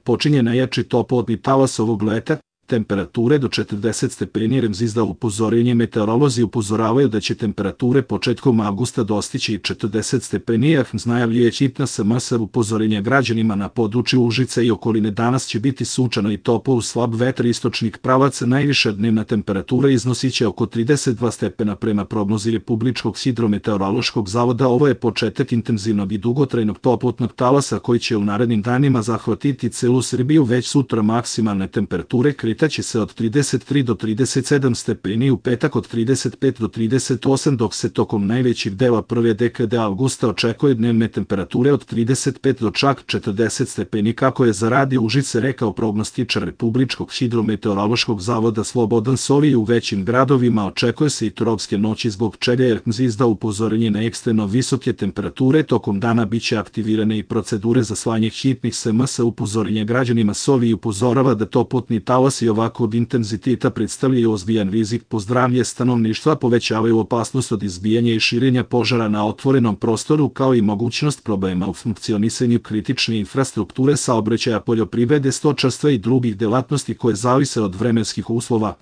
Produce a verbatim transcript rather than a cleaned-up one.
počinje najjači toplotni talas ovog leta, temperature do četrdeset stepeni. R E M Z izdao upozorenje. Meteorolozi upozoravaju da će temperature početkom avgusta dostići i četrdeset stepeni. R E M Z najavljuje hitna S M S upozorenja građanima na području Užica i okoline. Danas će biti sunčano i toplo uz slab vetar istočnih pravaca. Najviša dnevna temperatura iznosiće oko trideset dva stepena prema prognozi Republičkog hidrometeorološkog zavoda. Ovo je početak intenzivnog i dugotrajnog toplotnog talasa koji će u narednim danima zahvatiti celu Srbiju. Već sutra maksimalne temperature će se od trideset tri do trideset sedam stepeni, u petak od trideset pet do trideset osam, dok se tokom najvećeg dela prve dekade avgusta očekuje dnevne temperature od trideset pet do čak četrdeset stepeni, kako je za Radio Užice rekao prognostičar Republičkog hidrometeorološkog zavoda Slobodan Sovi. U većim gradovima očekuje se i tropske noći, zbog čega je R E M Z izdao upozorenje na ekstremno visoke temperature. Tokom dana biće aktivirane i procedure za slanje hitnih S M S upozorenja građanima. Sovi upozorava da toplotni talas i ovakvog intenziteta predstavljaju ozbiljan rizik po zdravlje stanovništva, povećavaju opasnost od izbijanja i širenja požara na otvorenom prostoru, kao i mogućnost problema u funkcionisanju kritične infrastrukture, saobraćaja, poljoprivrede, stočarstva i drugih delatnosti koje zavise od vremenskih uslova.